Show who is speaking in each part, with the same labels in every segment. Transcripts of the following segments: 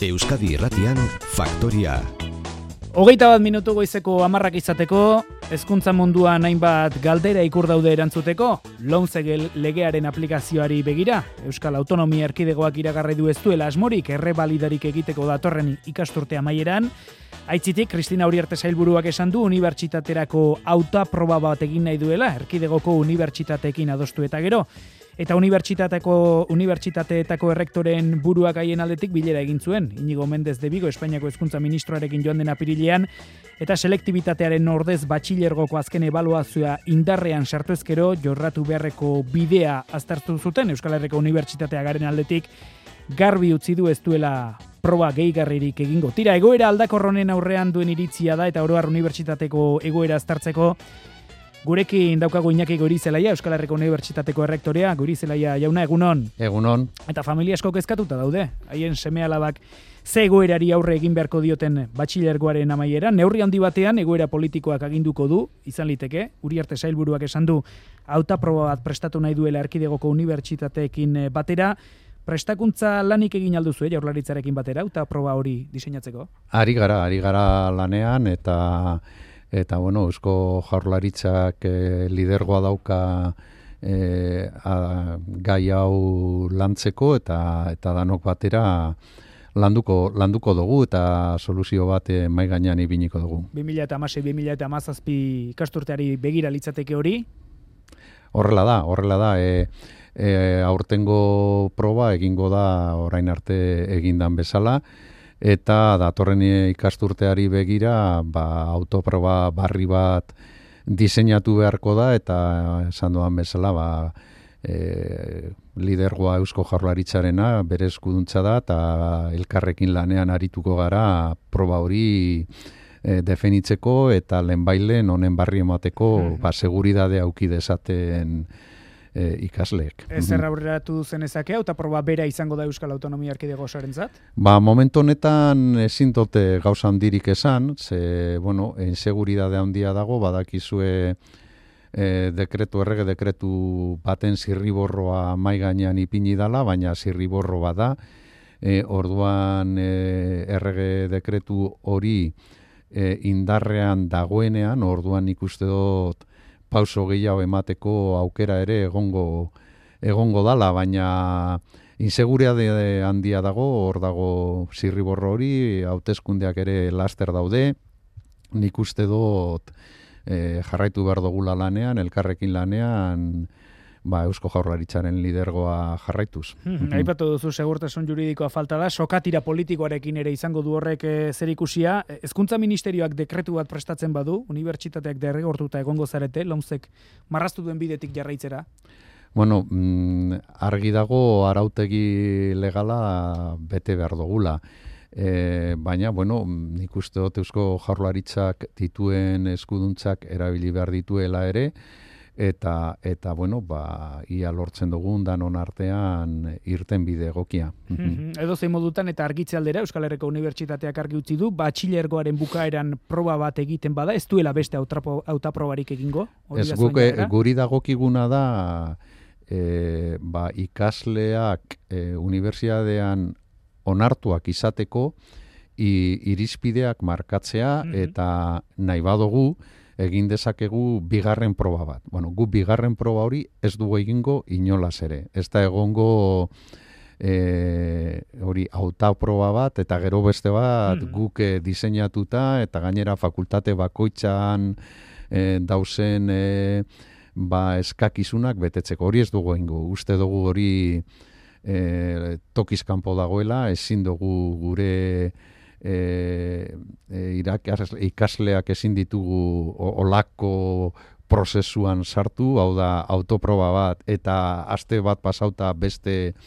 Speaker 1: Euskadi Irratian Faktoria.
Speaker 2: 21 minutu goizeko 10 izateko, hezkuntza munduan hainbat galdera ikur daude erantzuteko, LOMCE legearen aplikazioari begira, Euskal Autonomia Erkidegoak iragarri du ez duela asmorik errebalidarik egiteko datorren ikasturte amaieran. Aitzitik, Kristina Uriarte sailburuak esan du unibertsitaterako hautaproba bat egin nahi duela, Erkidegoko unibertsitateekin adostu eta gero. Eta unibertsitateetako errektoren buruak haien aldetik bilera egin zuen. Inigo Mendez de Vigo, Espainiako hezkuntza ministroarekin joan den apirilean, eta selektibitatearen ordez batxilergoko azken ebaluazioa indarrean sartu ezkero, jorratu beharreko bidea aztertu zuten Euskal Herriko Unibertsitatea garen aldetik, garbi utzi du ez duela proba gehigarririk egingo. Tira, egoera aldakorronen aurrean duen iritzia da, eta oro har unibertsitateko egoera aztertzeko, gurekin daukagu Iñaki Goirizelaia, Euskal Herriko Unibertsitateko errektorea. Goirizelaia jauna, egunon.
Speaker 3: Egunon.
Speaker 2: Eta familia asko kezkatuta daude. Haien seme-alabak ze egoerari aurre egin beharko dioten batxilergoaren amaiera. Neurri handi batean egoera politikoak aginduko du, izan liteke. Uriarte sailburuak esan du hautaproba bat prestatu nahi duela Erkidegoko unibertsitateekin batera. Prestakuntza lanik egin alduzu, Jaurlaritzarekin batera, hautaproba hori diseinatzeko?
Speaker 3: Ari gara lanean eta bueno, Eusko Jaurlaritzak lidergoa dauka gai hau lantzeko eta danok batera landuko dugu eta soluzio bat mahai gainean ipiniko dugu.
Speaker 2: 2016-2017 ikasturteari begira litzateke hori?
Speaker 3: Horrela da. Aurtengo proba egingo da orain arte egindan bezala, eta datorren ikasturteari begira autoproba barri bat diseinatu beharko da, eta esan doan bezala lidergoa Eusko Jaurlaritzarena bere eskuduntza da, eta elkarrekin lanean arituko gara proba hori definitzeko eta lehenbailen honen barri emateko seguridadea auki dezaten ikasleek.
Speaker 2: Zer aurreratu zenezake, hautaproba bera izango da Euskal Autonomia Erkidego osoarentzat?
Speaker 3: Momentu honetan ezin dute gauza handirik esan, ze, inseguridade handia dago, badakizue errege dekretu baten zirriborroa mai gainean ipini dala, baina zirriborro bada, orduan errege dekretu hori indarrean dagoenean, orduan ikuste dut pauso gehiago emateko aukera ere egongo dala, baina inseguritate handia dago, hor dago zirriborro hori, hauteskundeak ere laster daude, nik uste dut jarraitu behar dugula lanean, elkarrekin lanean, Eusko Jaurlaritzaren lidergoa jarraituz.
Speaker 2: Aipatu duzu segurtasun juridikoa falta da, sokatira politikoarekin ere izango du horrek zerikusia. Hezkuntza Ministerioak dekretu bat prestatzen badu, unibertsitateak derrigortuta egongo zarete, LOMCEk marraztu duen bidetik jarraitzera?
Speaker 3: Argi dago arautegi legala bete behar dugula. Baina, nik uste dut Eusko Jaurlaritzak dituen eskuduntzak erabili behar dituela ere, eta ia lortzen dugun danon artean irten bide egokia.
Speaker 2: Edo zein modutan eta argitze aldera Euskal Herriko Unibertsitateak argi utzi du, batxilergoaren bukaeran proba bat egiten bada, ez duela beste hautaprobarik egingo?
Speaker 3: Ez guri dagokiguna da, ikasleak unibertsitatean onartuak izateko irizpideak markatzea, eta nahi badugu egin dezakegu bigarren proba bat. Gu bigarren proba hori ez dugu egingo inolaz ere. Ez da egongo hori hautaproba bat, eta gero beste bat guk diseinatuta, eta gainera fakultate bakoitzan dauzen eskakizunak betetzeko. Hori ez dugu egingo. Uste dugu hori tokiz kanpo dagoela, ezin dugu gure ikasleak ezin ditugu olako prozesuan sartu, hau da autoproba bat eta aste bat pasauta beste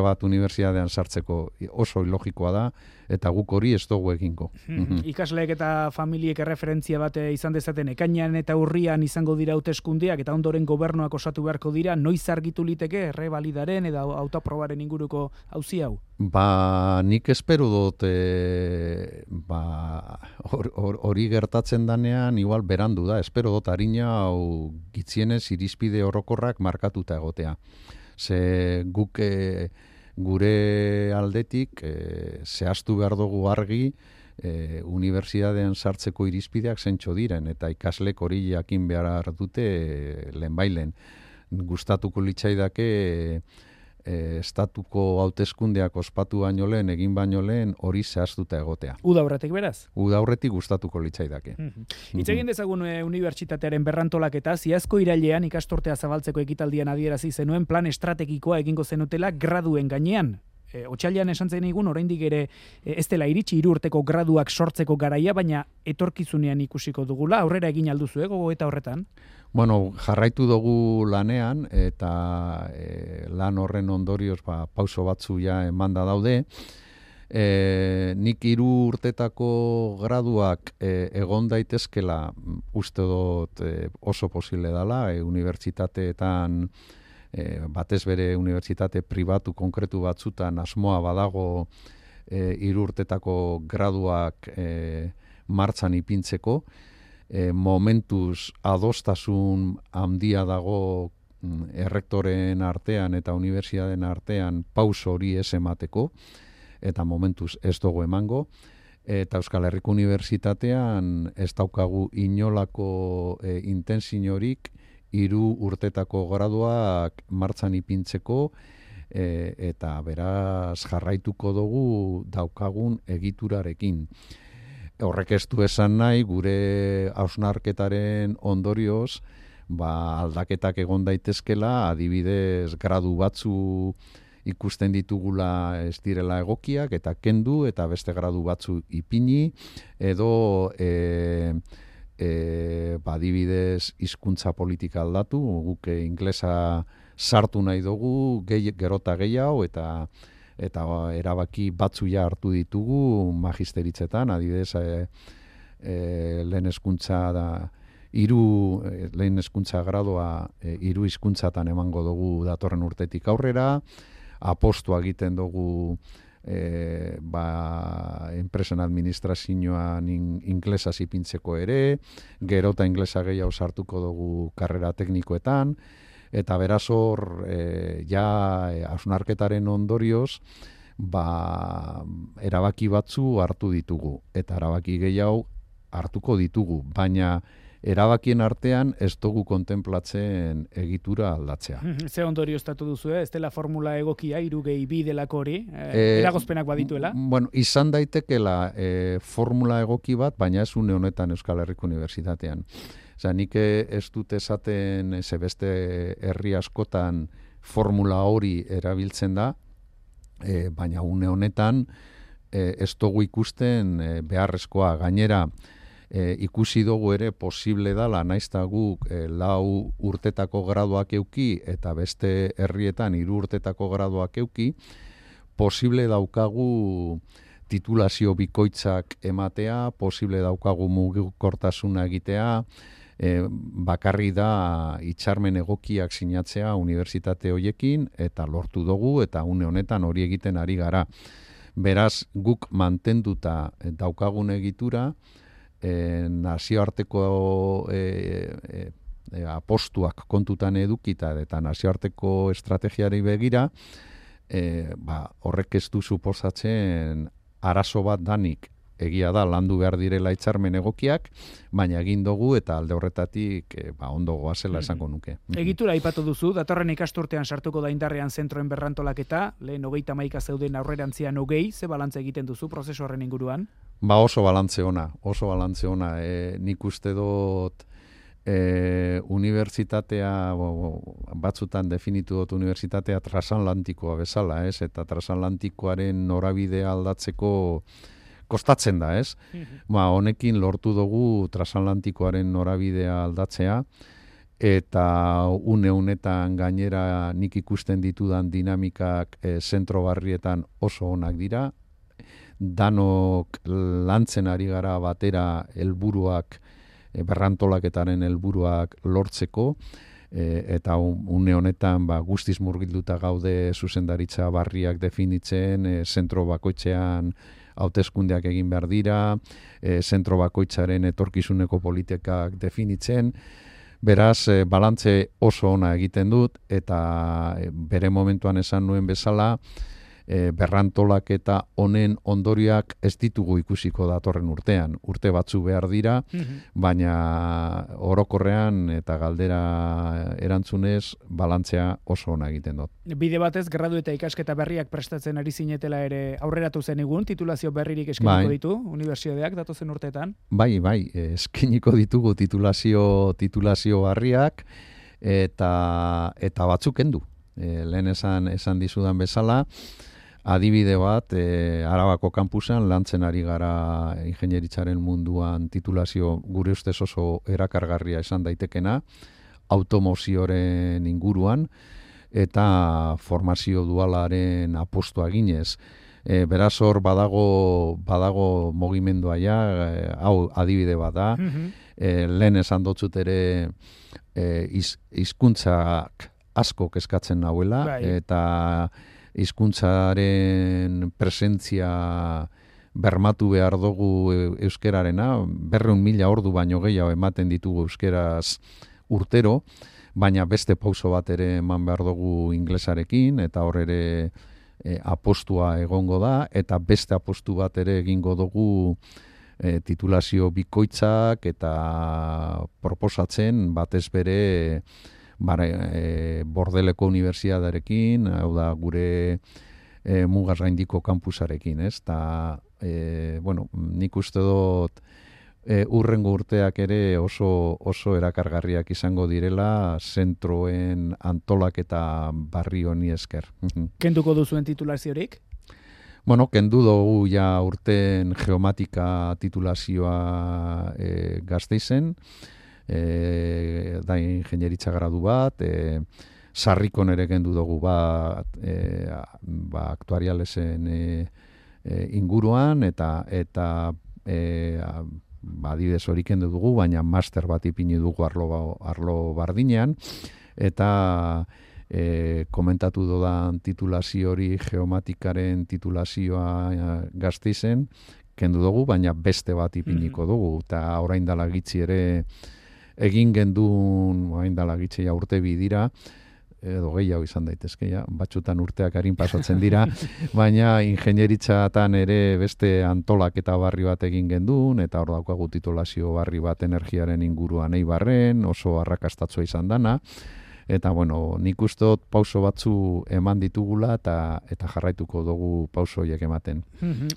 Speaker 3: bat unibertsitatean sartzeko oso ilogikoa da, eta guk hori ez dugu egingo.
Speaker 2: Ikasleek eta familiek erreferentzia bat izan dezaten ekainean eta urrian izango dira hauteskundeak eta ondoren gobernuak osatu beharko dira, noiz argitu liteke errebalidaren edo autoprobaren inguruko auzi hau?
Speaker 3: Nik espero dut hori gertatzen danean igual berandu da, espero dut harina hau gitzienez irizpide orokorrak markatuta egotea. Ze guk gure aldetik zehaztu behar dugu argi unibertsitatean sartzeko irizpideak zentxo diren, eta ikaslek hori jakin behar dute lehenbailen. Gustatuko litzaidake estatuko hauteskundeak ospatu baino lehen, egin baino lehen, hori zehaztuta egotea.
Speaker 2: Uda aurretik beraz?
Speaker 3: Uda aurretik gustatuko litzaidake.
Speaker 2: Hitz egin dezagun unibertsitatearen berrantolaketa, iazko irailean ikasturtea zabaltzeko ekitaldian adierazi zenuen plan estrategikoa egingo zenutela graduen gainean. Otsailean esan zen egun, oraindik ere ez dela iritsi 3 urteko graduak sortzeko garaia, baina etorkizunean ikusiko dugula, aurrera egin alduzu gogoeta horretan?
Speaker 3: Bueno, jarraitu dugu lanean, eta lan horren ondorioz pauso batzu ja emanda daude. Nik 3 urtetako graduak egon daitezkela uste dut oso posible dela, unibertsitateetan batez bere unibertsitate pribatu konkretu batzutan asmoa badago 3 urtetako graduak martxan ipintzeko. Momentuz adostasun handia dago errektoren artean eta unibertsitateen artean pauso hori ez emateko, eta momentuz ez dugu emango. Eta Euskal Herriko Unibertsitatean ez daukagu inolako intentziorik 3 urtetako graduak martxan ipintzeko, eta beraz jarraituko dugu daukagun egiturarekin. Horrek ez du esan nahi, gure hausnarketaren ondorioz, aldaketak egon daitezkela, adibidez gradu batzu ikusten ditugula ez direla egokiak, eta kendu, eta beste gradu batzu ipini, edo adibidez hizkuntza politika aldatu, guk inglesa sartu nahi dugu, gerota gehiago, eta erabaki batzu ja hartu ditugu magisteritzetan, adibidez lehen hezkuntza da lehen hezkuntza gradoa 3 hizkuntzatan emango dugu datorren urtetik aurrera, apostua egiten dugu enpresen administrazioan inglesaz ipintzeko ere, gero eta inglesa gehiago sartuko dugu karrera teknikoetan, eta beraz hor hausnarketaren ondorioz erabaki batzu hartu ditugu, eta erabaki gehiago hartuko ditugu, baina erabakien artean ez dugu kontemplatzen egitura aldatzea.
Speaker 2: Ze ondorio estatu duzu, ez dela formula egokia 3+2 delako hori, eragozpenak badituela?
Speaker 3: Bueno, izan daitekela formula egoki bat, baina ez une honetan Euskal Herriko Unibertsitatean. Nik ez dut esaten beste herri askotan formula hori erabiltzen da, baina une honetan ez dugu ikusten beharrezkoa. Gainera, ikusi dugu ere posible dala, naizta guk 4 urtetako graduak euki eta beste herrietan 3 urtetako graduak euki, posible daukagu titulazio bikoitzak ematea, posible daukagu mugikortasuna egitea, bakarri da hitzarmen egokiak sinatzea unibertsitate hoiekin, eta lortu dugu, eta une honetan hori egiten ari gara. Beraz, guk mantenduta daukagun egitura, nazioarteko apostuak kontutan edukita eta nazioarteko estrategiari begira, horrek ez du suposatzen arazo bat danik. Egia da, landu behar direla hitzarmen egokiak, baina egin dugu eta alde horretatik ondo goazela esango nuke.
Speaker 2: Egitura aipatu duzu, datorren ikasturtean sartuko da indarrean zentroen berrantolaketa, lehen 31 zeuden aurrerantzian 20, ze balantze egiten duzu prozesu horren inguruan?
Speaker 3: Oso balantze ona. Nik uste dut unibertsitatea, batzutan definitu dut unibertsitatea transatlantikoa bezala, eta transatlantikoaren norabidea aldatzeko kostatzen da, ez? Honekin lortu dugu transatlantikoaren norabidea aldatzea, eta une honetan gainera nik ikusten ditudan dinamikak zentro barrietan oso onak dira, danok lantzen ari gara batera helburuak, berrantolaketaren helburuak lortzeko, eta une honetan guztiz murgilduta gaude zuzendaritza barriak definitzen, zentro bakoitzean hauteskundeak egin behar dira, zentro bakoitzaren etorkizuneko politikak definitzen, beraz, balantze oso ona egiten dut, eta bere momentuan esan nuen bezala, berrantolaketa honen ondorioak ez ditugu ikusiko datorren urtean. Urte batzu behar dira, baina orokorrean eta galdera erantzunez balantzea oso ona egiten dut.
Speaker 2: Bide batez, gradu eta ikasketa berriak prestatzen ari zinetela ere aurreratu zen egun, titulazio berririk eskainiko ditu, unibertsitateak datozen urteetan?
Speaker 3: Bai, eskainiko ditugu titulazio barriak eta batzuk kendu. Lehen esan dizudan bezala, adibide bat, Arabako kampusan lantzen ari gara ingenieritzaren munduan titulazio gure ustez oso erakargarria esan daitekena, automozioaren inguruan, eta formazio dualaren apostua ginez. Beraz hor badago mugimendua ja, hau adibide bat da, lehen esan dotzut ere hizkuntzak asko kezkatzen nahuela, eta hizkuntzaren presentzia bermatu behar dugu euskerarena, 200.000 ordu baino gehiago ematen ditugu euskeraz urtero, baina beste pauso bat ere eman behar dugu inglesarekin, eta hor ere apostua egongo da, eta beste apostu bat ere egingo dugu titulazio bikoitzak eta proposatzen batez bere Bordeleko Unibertsitatearekin, hau da gure mugaz gaindiko kampusarekin, ez? Ta, nik uste dut urrengo urteak ere oso erakargarriak izango direla zentroen antolaketa barri honi esker.
Speaker 2: Kenduko duzuen titulaziorik?
Speaker 3: Kendu dugu ja urten geomatika titulazioa Gasteizen, da ingenieritza gradu bat, sarrikon ere kendu dugu bat, aktuarialesen inguruan, eta adibidez hori kendu dugu, baina master bat ipini dugu arlo bardinean, eta komentatu dodan titulazio hori geomatikaren titulazioa Gasteizen, kendu dugu, baina beste bat ipiniko dugu, eta orain dala gitzi ere egin gendun, orain dala gitzi urte bidira, edo gehiago izan daitezke, batzutan urteak harin pasatzen dira, baina ingenieritzatan ere beste antolaketa barri bat egin gendun, eta hor daukagu titulazio barri bat energiaren inguruan Eibarren, oso arrakastatzua izan dana, eta nik uste dut pauso batzu eman ditugula eta jarraituko dugu pauso horiek ematen.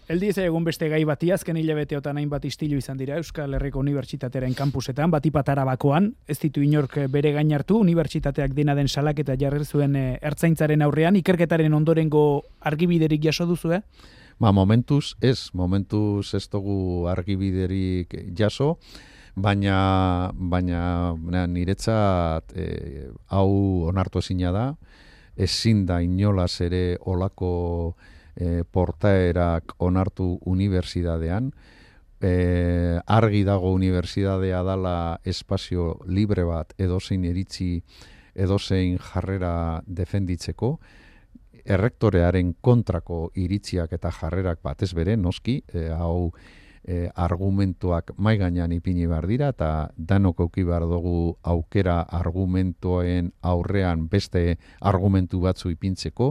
Speaker 2: Eldi ez egun beste gai bati, azken hilabeteotan hainbat istilu izan dira Euskal Herriko Unibertsitatearen kampusetan, batipat Arabakoan, ez ditu inork bere gain hartu, unibertsitateak dena den salaketa jarri zuen ertzaintzaren aurrean, ikerketaren ondorengo argibiderik jaso duzu,
Speaker 3: Momentuz ez dugu argibiderik jaso, baina niretzat hau onartu ezina da, ezin da inolaz ere olako portaerak onartu unibertsitatean, argi dago unibertsitatea dala espazio libre bat edozein iritzi, edozein jarrera defenditzeko, errektorearen kontrako iritziak eta jarrerak batez bere, noski, hau argumentuak mai gainean ipini behar dira, eta danok auki behar dugu aukera argumentoen aurrean beste argumentu batzu ipintzeko,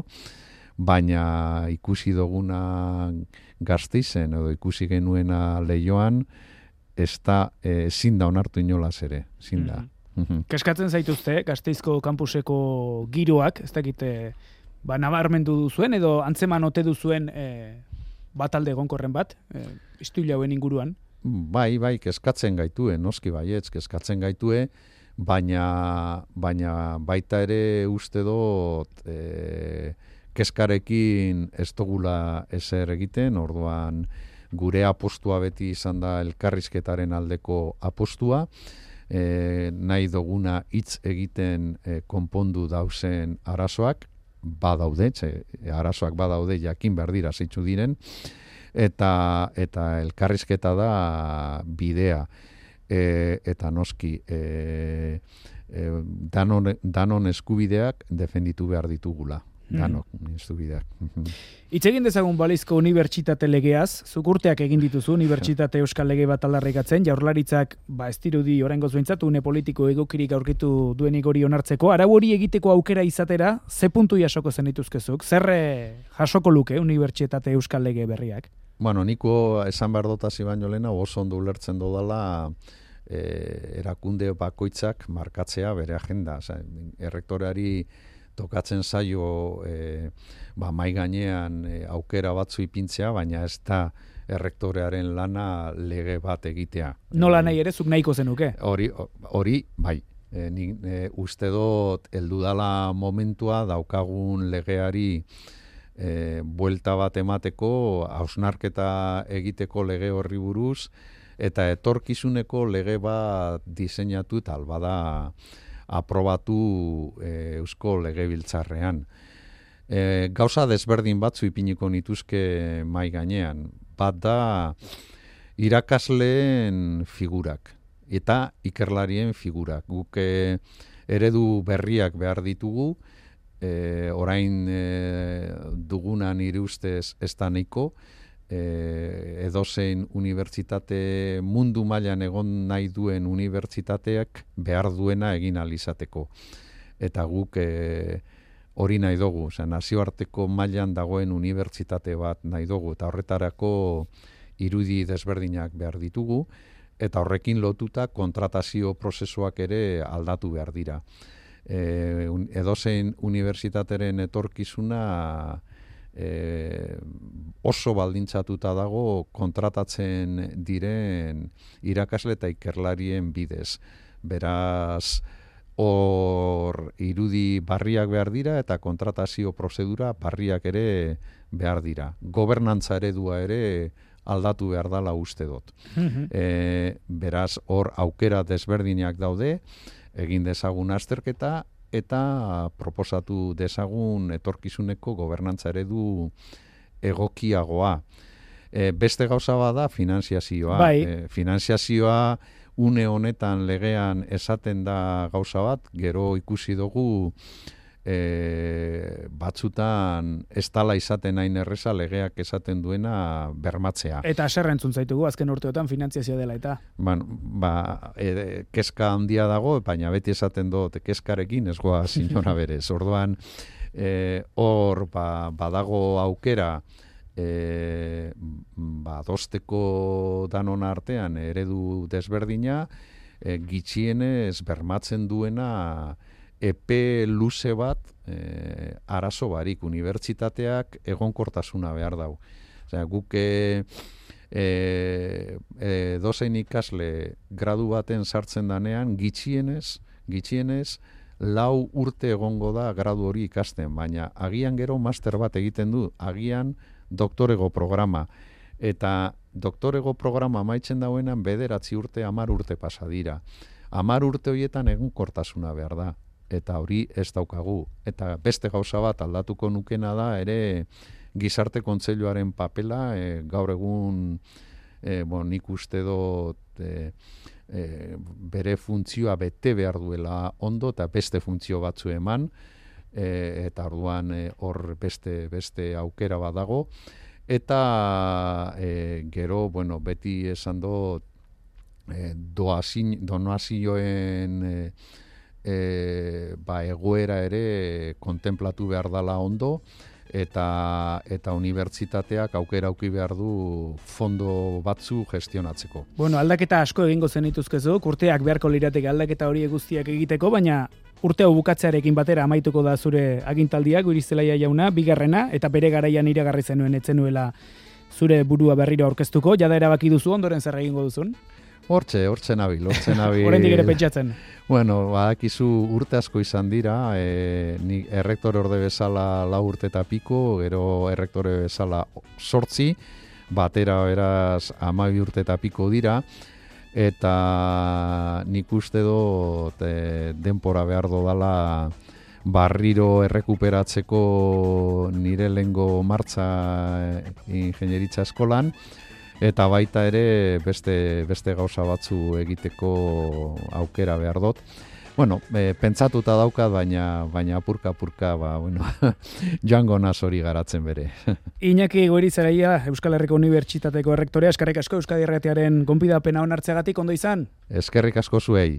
Speaker 3: baina ikusi duguna Gasteizen edo ikusi genuena Leioan, ez da ezin da onartu inolaz ere, ezin da.
Speaker 2: Keskatzen zaituzte, Gasteizko kampuseko giroak, ez dakite, nabarmendu duzuen edo antzeman ote duzuen batalde egonkorren bat, istilu hauen inguruan?
Speaker 3: Bai, kezkatzen gaitue, noski baietz, kezkatzen gaitue, baina baita ere uste dut kezkarekin ez dugula ezer egiten, orduan gure apostua beti izan da elkarrizketaren aldeko apostua, nahi duguna hitz egiten konpondu dauzen arazoak, badaude, arazoak badaude jakin behar dira zeitzu diren, eta elkarrizketa da bidea, eta noski danon eskubideak defenditu behar ditugula. danok, eskubideak.
Speaker 2: Hitz egin dezagun balizko unibertsitate legeaz, zuk urteak egin dituzu unibertsitate euskal lege bat aldarrikatzen, Jaurlaritzak ez dirudi oraingoz behintzat une politiko egokirik aurkitu duenik hori onartzeko, arau hori egiteko aukera izatera, ze puntu jasoko zenituzkezuk, zer jasoko luke unibertsitate euskal lege berriak?
Speaker 3: Bueno, niko esan behar dotasi baino lehena oso ondo ulertzen dodala erakunde bakoitzak markatzea bere agenda. Errektoreari tokatzen zaio mai gainean aukera batzu ipintzea, baina ez da errektorearen lana lege bat egitea.
Speaker 2: Nola nahi ere, zuk nahiko zenuke?
Speaker 3: Hori, bai. Uste dut heldu dala momentua daukagun legeari buelta bat emateko, hausnarketa egiteko lege horri buruz, eta etorkizuneko lege bat diseinatu tal bada aprobatu Eusko Legebiltzarrean. Gauza desberdin batzu ipiniko nituzke mai gainean. Bat da irakasleen figurak eta ikerlarien figurak. Guk eredu berriak behar ditugu, orain duguna nire ustez ez da nahiko, edozein unibertsitate mundu mailan egon nahi duen unibertsitateak behar duena egin alizateko. Eta guk hori nahi dugu, nazioarteko mailan dagoen unibertsitate bat nahi dugu, eta horretarako irudi desberdinak behar ditugu, eta horrekin lotuta kontratazio prozesuak ere aldatu behar dira. Edozein unibertsitateren etorkizuna oso baldintzatuta dago kontratatzen diren irakasle eta ikerlarien bidez. Beraz, hor irudi barriak behar dira eta kontratazio prozedura barriak ere behar dira. Gobernantza eredua ere aldatu behar dala uste dut. Beraz, hor aukera desberdinak daude, egin dezagun azterketa, eta proposatu dezagun etorkizuneko gobernantza eredu egokiagoa. Beste gauza bada finanziazioa. Finanziazioa une honetan legean esaten da gauza bat, gero ikusi dugu batzutan ez dala izaten hain erreza legeak esaten duena bermatzea.
Speaker 2: Eta aserra entzun zaitugu azken urteotan finanziazioa dela eta.
Speaker 3: Kezka handia dago, baina beti esaten dut kezkarekin ez goa sinora berez. Orduan, hor badago aukera adosteko danon artean eredu desberdina, gitxienez bermatzen duena epe luze bat arazo barik, unibertsitateak egonkortasuna behar dau. Guk dozein ikasle gradu baten sartzen danean, gitxienez 4 urte egongo da gradu hori ikasten, baina agian gero master bat egiten du, agian doktorego programa. Eta doktorego programa amaitzen dauenan 9 urte, 10 urte pasa dira. 10 urte horietan egonkortasuna behar da. Eta hori ez daukagu. Eta beste gauza bat aldatuko nukena da, ere gizarte kontseiluaren papela, gaur egun nik uste dut bere funtzioa bete behar duela ondo, eta beste funtzio batzu eman, eta orduan hor beste aukera bat dago. Eta gero, beti esan dut donazioen egoera ere kontemplatu behar dala ondo, eta unibertsitateak aukera auki behar du fondo batzu gestionatzeko.
Speaker 2: Aldaketa asko egingo zenituzkezuk, urteak beharko lirateke aldaketa hori guztiak egiteko, baina urte hau bukatzearekin batera amaituko da zure agintaldiak, Goirizelaia jauna, bigarrena, eta bere garaian iragarri zenuen etzenuela zure burua berriro aurkeztuko, jada erabaki duzu, ondoren zer egingo duzun?
Speaker 3: Hortxe nabil.
Speaker 2: Oraindik ere pentsatzen.
Speaker 3: Badakizu urte asko izan dira, ni errektore orde bezala 4 urte eta piko, gero errektore bezala 8, batera beraz 12 urte eta piko dira, eta nik uste dut denpora behar dodala barriro errekuperatzeko nire lehengo martza ingenieritza eskolan, eta baita ere beste gauza batzu egiteko aukera behar dut. Bueno, pentsatuta daukat, baina apurka, bueno, joango naz hori garatzen bere.
Speaker 2: Iñaki Goirizelaia, Euskal Herriko Unibertsitateko errektorea, eskerrik asko Euskadi Irratiaren gonbidapena onartzeagatik, ondo izan?
Speaker 3: Eskerrik asko zuei.